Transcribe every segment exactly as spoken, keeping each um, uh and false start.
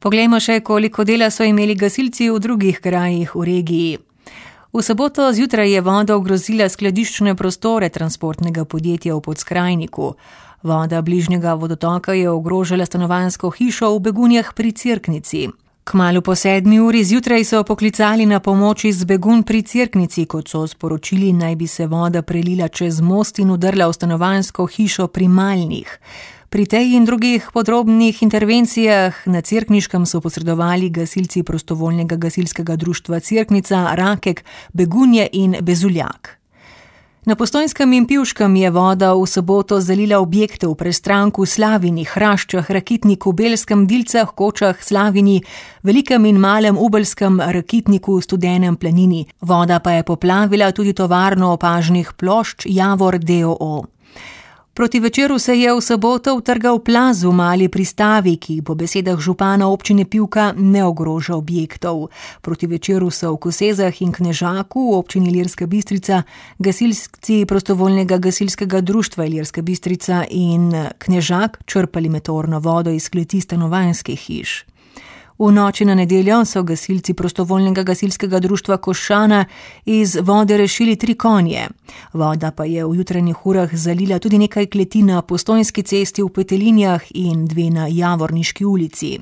Poglejmo še, koliko dela so imeli gasilci v drugih krajih v regiji. V soboto zjutraj je voda ogrozila skladiščne prostore transportnega podjetja v Podskrajniku. Voda bližnjega vodotoka je ogrožala stanovanjsko hišo v Begunjah pri Cerknici. Kmalu po sedmi uri zjutraj so poklicali na pomoč iz Begunj pri Cerknici, kot so sporočili, naj bi se voda prelila čez most in udrla v stanovanjsko hišo pri Malnih. Pri tej in drugih podrobnih intervencijah na Cerkniškem so posredovali gasilci prostovoljnega gasilskega društva Cerknica, Rakek, Begunje in Bezuljak. Na Postojnskem in Pivškem je voda v soboto zalila objekte v Prestranku, Slavini, Hraščah, Rakitniku, Belskem, Dilcah, Kočah, Slavini, Velikem in Malem Ubelskem, Rakitniku, Studenem, Planini. Voda pa je poplavila tudi tovarno opažnih plošč Javor d. o. o. Proti večeru se je v soboto utrgal plaz v Mali Pristavi, ki po besedah župana občine Pivka ne ogroža objektov. Proti večeru so v Kosezah in Knežaku v občini Ilirska Bistrica gasilci prostovoljnega gasilskega društva Ilirska Bistrica in Knežak črpali meteorno vodo iz kleti stanovanjskih hiš. V noči na nedeljo so gasilci prostovoljnega gasilskega društva Košana iz vode rešili tri konje. Voda pa je v jutranjih urah zalila tudi nekaj kleti na Postojnski cesti v Petelinjah in dve na Javorniški ulici.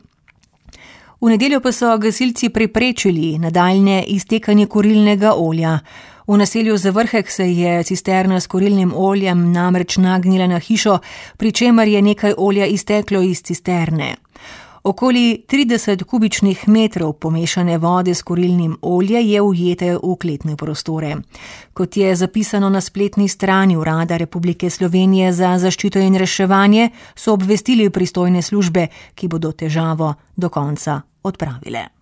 V nedeljo pa so gasilci preprečili nadaljnje iztekanje kurilnega olja. V naselju Zavrhek se je cisterna s kurilnim oljem namreč nagnila na hišo, pri čemer je nekaj olja izteklo iz cisterne. Okoli trideset kubičnih metrov pomešane vode s kurilnim oljem je ujete v kletne prostore. Kot je zapisano na spletni strani Urada Republike Slovenije za zaščito in reševanje, so obvestili pristojne službe, ki bodo težavo do konca odpravile.